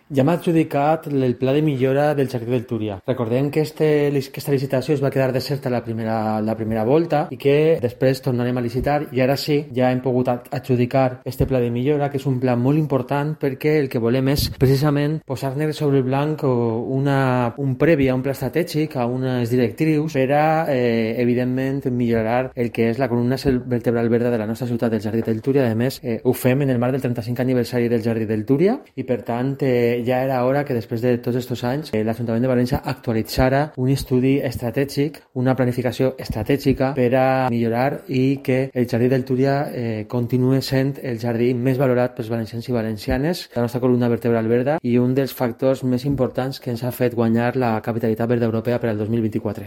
Ja m'ha adjudicat el pla de millora del Jardí del Túria. Recordem que aquesta licitació es va quedar deserta la primera volta i que després tornarem a licitar i ara sí, ja hem pogut adjudicar este pla de millora, que és un pla molt important perquè el que volem és precisament posar negre sobre el blanc un previ a un pla estratègic, a unes directrius per a, evidentment, millorar el que és la columna vertebral verda de la nostra ciutat del Jardí del Túria. A més, ho fem en el marc del 35 aniversari del Jardí del Túria i, per tant, ja era hora que després de tots aquests anys l'Ajuntament de València actualitzara un estudi estratègic, una planificació estratègica per a millorar i que el Jardí del Túria continue sent el jardí més valorat pels valencians i valencianes, la nostra columna vertebral verda i un dels factors més importants que ens ha fet guanyar la capitalitat verda europea per al 2024.